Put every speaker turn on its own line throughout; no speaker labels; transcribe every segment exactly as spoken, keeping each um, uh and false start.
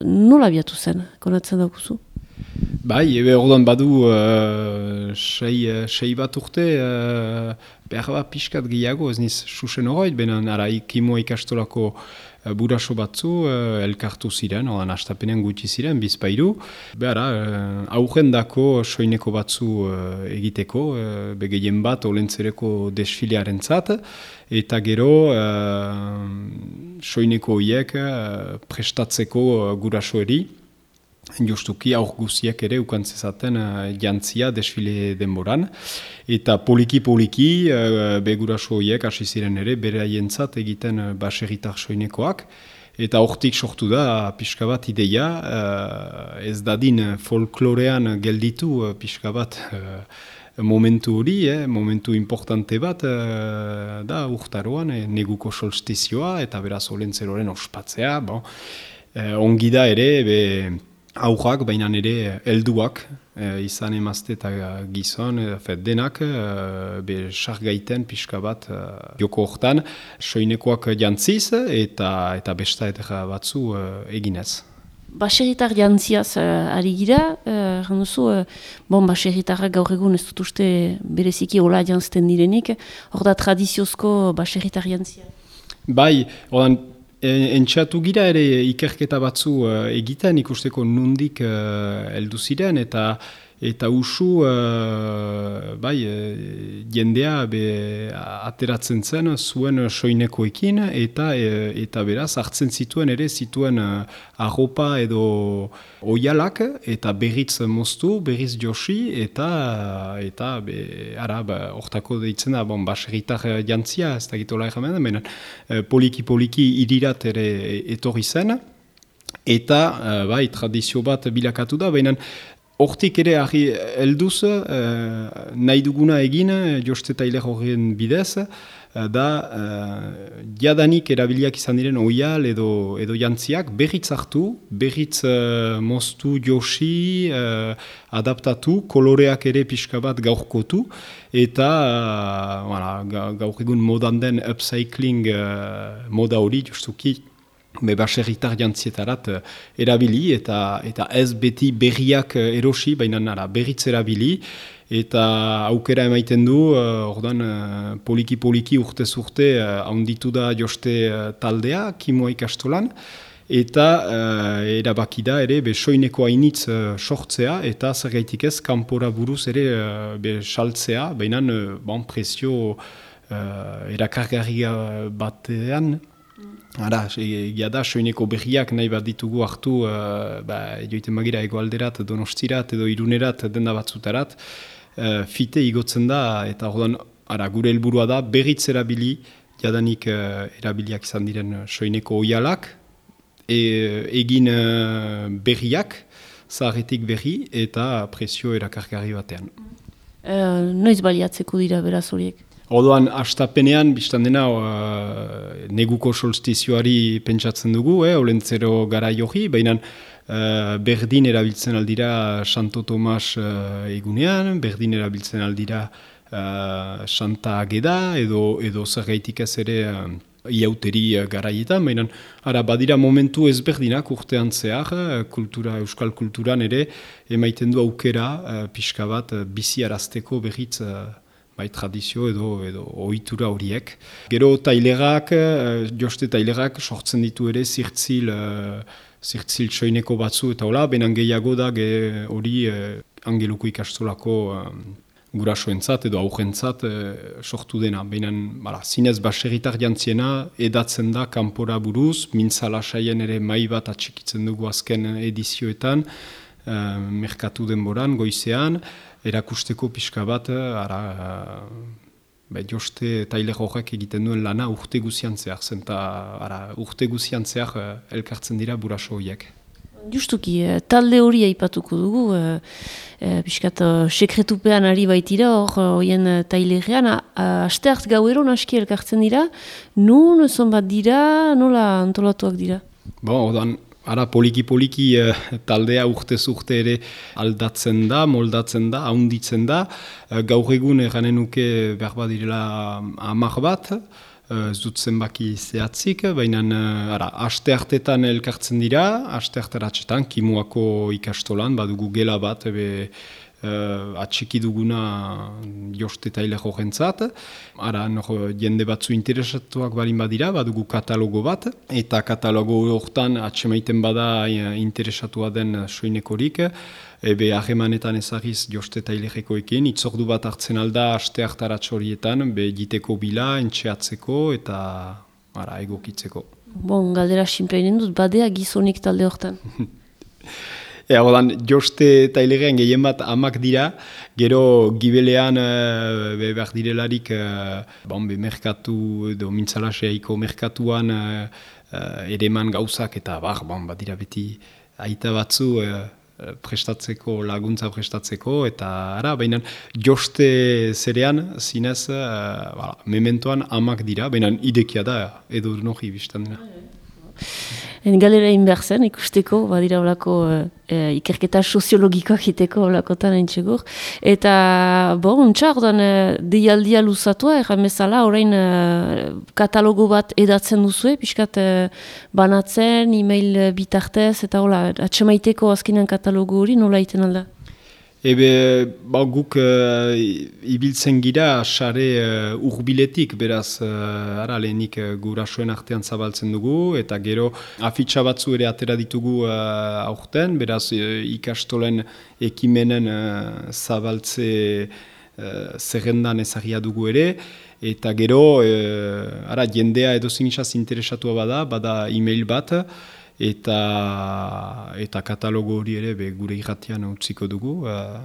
nola abiatu zen, konatzen daukuzu?
Bai, ebe orduan badu uh, sei, sei bat urte, uh, behar bat pixkat gehiago, ez niz susen horoit, benen ara ikimoa ikastolako uh, buraso batzu uh, elkartu ziren, odan astapenean gutxi ziren, bizpairu. Behara, uh, aurrendako soineko batzu uh, egiteko, uh, begehien bat olentzereko desfilearen zat, eta gero uh, soineko horiek uh, prestatzeko uh, gurasoeri, justuki aur guziek ere ukantzezaten uh, jantzia desfile denboran. Eta poliki-poliki uh, beguraso horiek hasi ziren ere bere haientzat egiten uh, baserritar soinekoak. Eta hortik sortu da pixka bat ideia, uh, ez dadin folklorean gelditu uh, pixka bat uh, momentu hori, eh, momentu importante bat uh, da urtaroan, eh, neguko solstizioa eta beraz olentzeroren ospatzea. Bon. Uh, ongi da ere, be, aurrak, baina ere helduak, e, izan emazte eta gizon, e, denak, e, be sargaiten pixka bat e, joko hortan, soinekoak jantziz eta eta besta eta batzu e, eginez.
Baserritar jantziaz uh, ari gira, uh, duzu, uh, bon, baserritarrak gaur egun ez dut uste bereziki hola jantzten direnik, hor da tradiziozko baserritar jantzia?
Bai, odan, entxatu gira ere ikerketa batzu uh, egiten, ikusteko nundik uh, heldu ziren, eta eta usu uh, bai, uh, jendea be, ateratzen zen zuen soinekoekin, eta e, eta beraz hartzen zituen ere zituen uh, arropa edo oialak, eta berriz moztu, berriz josi, eta eta be, ara, ba, hortako deitzen da, bon, baserritar jantzia, ez da gitola erramen, baina poliki-poliki irirat ere etorri zen, eta uh, bai, tradizio bat bilakatu da, baina hortik ere ahi helduz, uh, nahi duguna egin, Joste Tailer horren bidez, uh, da uh, jadanik erabiliak izan diren oial edo, edo jantziak berriz hartu, berriz uh, moztu, josi, uh, adaptatu, koloreak ere pixka bat gaurkotu, eta uh, voilà, gaur egun modan den upcycling uh, moda hori justuki, be baserritar jantzietarat uh, erabili, eta eta ez beti berriak uh, erosi, baina nara berritz erabili, eta aukera emaiten du, uh, ordan uh, poliki-poliki urtez urte uh, haunditu da Joste uh, taldea, kimoa ikastolan, eta uh, erabaki da ere be soineko hainitz uh, sortzea, eta zergaitik ez kanpora buruz ere uh, be saltzea, baina uh, bon, presio uh, erakargarria batean. Ara, egia da, soineko berriak nahi bat ditugu hartu, uh, ba, joiten magira egoalderat, donostirat edo irunerat, denda batzutarat, uh, fite igotzen da, eta ordan, ara, gure helburua da, berritz erabili, jadanik uh, erabiliak izan diren soineko oialak, e, egin uh, berriak, zaharretik berri, eta presio erakargarri batean.
Uh, noiz baliatzeko dira beraz horiek?
Orduan, astapenean, biztan dena, uh, neguko solstizioari pentsatzen dugu, eh, olentzero gara johi, baina uh, berdin erabiltzen aldira Santo Tomas uh, egunean, berdin erabiltzen aldira uh, Santa Ageda, edo, edo zergaitik ez ere uh, iauteri uh, garaietan, baina ara, badira momentu ezberdinak urtean zehar, kultura, euskal kulturan ere, emaiten du aukera uh, pixka bat uh, bizi arazteko berriz uh, bai, tradizio edo, edo ohitura horiek. Gero tailerak, Joste Tailerak sortzen ditu ere zirtzil, zirtzil soineko batzu eta hola, benan gehiago da hori Angeluko ikastolako gurasoentzat edo aurrentzat sortu dena. Benan, bala, zinez baserritar jantziena edatzen da kanpora buruz, mintzala saien ere mai bat atxikitzen dugu azken edizioetan, merkatu denboran, goizean, erakusteko pixka bat, ara, be, Joste Tailer horrek egiten duen lana urte guzian zehar, zenta ara, urte guzian zehar elkartzen dira buraso horiek.
Justuki, talde hori aipatuko dugu, e, e, pixkat sekretupean ari baitira, hor horien Tailerrean, asteart gauero naski elkartzen dira, nun, zonbat dira, nola antolatuak dira? Bon,
odan, ara, poliki-poliki eh, taldea urtez urte ere aldatzen da, moldatzen da, haunditzen da. Eh, gaur egun eranen nuke behar badirela hamar bat. ez dut zenbaki zehatzik, baina ara, aste hartetan elkartzen dira, aste hartaratxetan, Kimuako ikastolan, badugu gela bat, ebe, Uh, atxiki duguna joste eta hileko jentzat. Ara, no, jende batzu interesatuak balin badira, badugu katalogo bat, eta katalogo hortan atxemaiten bada interesatua den soinekorik, ebe ahemanetan ezagiz joste eta hilekoekin, itzordu bat hartzen alda aste hartaratx horietan, be jiteko bila, entxeatzeko eta ara, egokitzeko.
Bon, galdera sinpleinen dut, badea gizonik talde hortan.
Ea, odan, joste eta hilegean gehien bat amak dira, gero gibelean uh, be, behar direlarik uh, bon, be, merkatu edo mintzalaseaiko merkatuan uh, uh, ereman gauzak eta bar, bon, bat dira beti aita batzu uh, prestatzeko, laguntza prestatzeko, eta ara, baina joste zerean, zinez, uh, bala, mementoan amak dira, baina idekia da, edo nohi biztan dena.
En galera inber zen, ikusteko, badira olako e, ikerketa soziologikoak iteko olakotan entxegur. Eta, bo, untxa, ordan, e, deialdia luzatua, erramezala, orain e, katalogo bat edatzen duzue, pixkat e, banatzen, e-mail bitartez, eta hola, atxemaiteko azkenean katalogo hori nola iten alda?
Ebe, ba, guk uh, ibiltzen gira sare uh, urbiletik, beraz, uh, ara lehenik uh, gurasoen artean zabaltzen dugu, eta gero afitxa batzu ere atera ditugu uh, aurten, beraz, uh, ikastolen ekimenen uh, zabaltze uh, zerrendan ezagia dugu ere, eta gero, uh, ara, jendea edo zinixaz interesatua bada, bada e-mail bat, eta eta katalogo hori ere be, gure irratian utziko dugu, uh,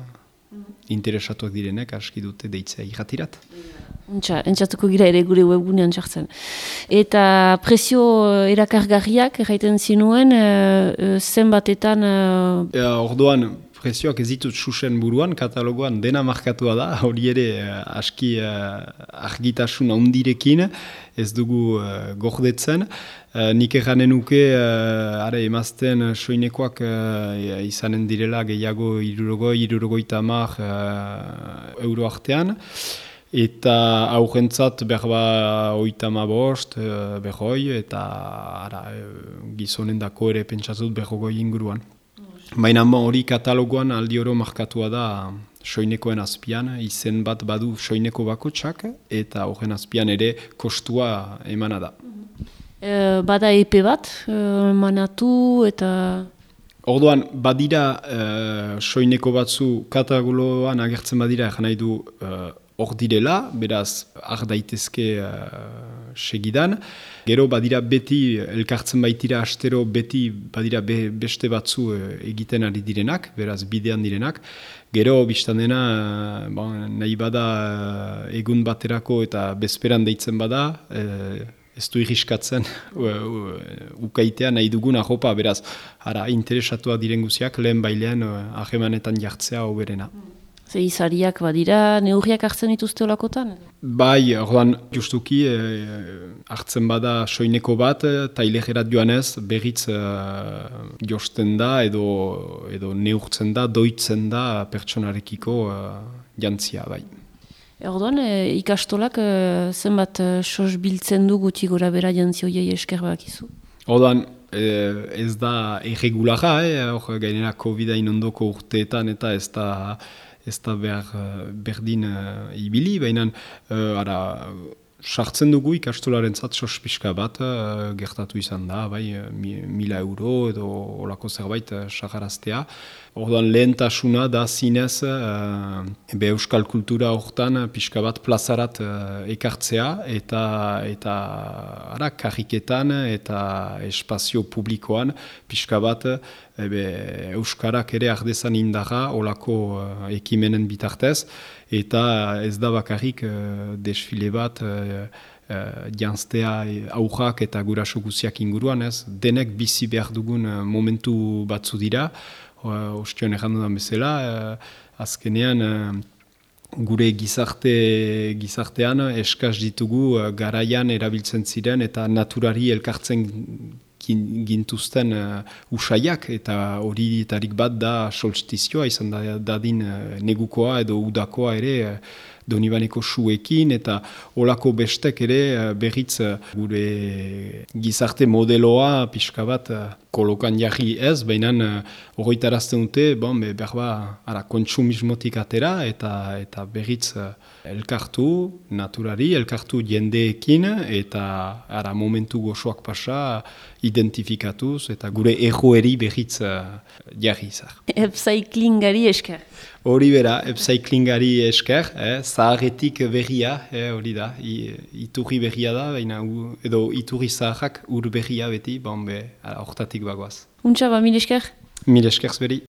interesatuak direnek aski dute deitzea irratirat.
Untxa, entzatuko gira ere gure webgunean txartzen. Eta prezio erakargarriak erraiten zinuen, uh, zenbatetan... Uh...
Ja, orduan, prezioak ez ditut susen buruan, katalogoan dena markatua da, hori ere uh, aski uh, argitasun handirekin, ez dugu uh, gordetzen. Uh, nik erranen nuke, uh, are emazten soinekoak uh, izanen direla gehiago irurogoi, irurogoita hamar uh, euro artean, eta aurrentzat berba oita hamabost, uh, berroi, eta ara, gizonen dako ere pentsatzut berrogoi inguruan. Baina hori katalogoan aldi oro markatua da soinekoen azpian, izen bat badu soineko bakotsak, eta horren azpian ere kostua emana da.
E, bada epe bat, e, manatu eta...
Orduan, badira e, soineko batzu katalogoan agertzen badira, egan nahi du hor e, direla, beraz, ar daitezke e, segidan. Gero badira beti, elkartzen baitira astero, beti badira be, beste batzu e, egiten ari direnak, beraz, bidean direnak. Gero, biztan dena, bon, nahi bada egun baterako eta bezperan deitzen bada, e, ez du irriskatzen ukaitea nahi dugun ahopa, beraz, ara, interesatua diren guziak, lehen bailean ahemanetan jartzea hoberena.
Ze izariak badira, neurriak hartzen dituzte olakotan?
Bai, orduan, justuki, eh, hartzen bada soineko bat, tailegerat joanez, berriz eh, josten da, edo, edo neurtzen da, doitzen da pertsonarekiko eh, jantzia, bai.
Orduan, e, ikastolak e, zenbat e, sos biltzen du guti gora bera jantzioiei esker bakizu?
Orduan, e, ez da erregulara, eh? Hor gainera COVID-ain ondoko urteetan eta ez da, ez da behar, berdin uh, ibili, baina uh, ara, sartzen dugu ikastolaren zat sos pixka bat, uh, gertatu izan da, bai, mi, mila euro edo olako zerbait uh, sagaraztea. Orduan lehentasuna da zinez uh, be euskal kultura hortan pixka bat plazarat uh, ekartzea eta eta ara, karriketan eta espazio publikoan pixka bat ebe, euskarak ere ardezan indarra olako uh, ekimenen bitartez eta ez da bakarrik uh, desfile bat uh, uh, janztea aurrak eta guraso guziak inguruan, ez? Denek bizi behar dugun uh, momentu batzu dira. Ostion errandu da bezala, uh, azkenean uh, gure gizarte, gizartean eskaz ditugu uh, garaian erabiltzen ziren eta naturari elkartzen gintuzten uh, usaiak, eta hori etarik bat da solstizioa, izan da dadin uh, negukoa edo udakoa ere uh, Donibaneko suekin, eta olako bestek ere berriz gure gizarte modeloa pixka bat kolokan jarri ez, baina horretarazten dute, bon, be, berba, ara, kontsumismotik atera, eta eta berriz elkartu naturari, elkartu jendeekin, eta ara, momentu gozoak pasa identifikatuz, eta gure egoeri berriz uh, jarri izar.
Upcyclingari esker.
Hori bera, upcyclingari esker, eh, zaharretik berria, eh, hori da, I, iturri berria da, baina u, edo iturri zaharrak ur berria beti, bon be, hortatik bagoaz.
Untsa ba, mil esker?
Mil esker zberi.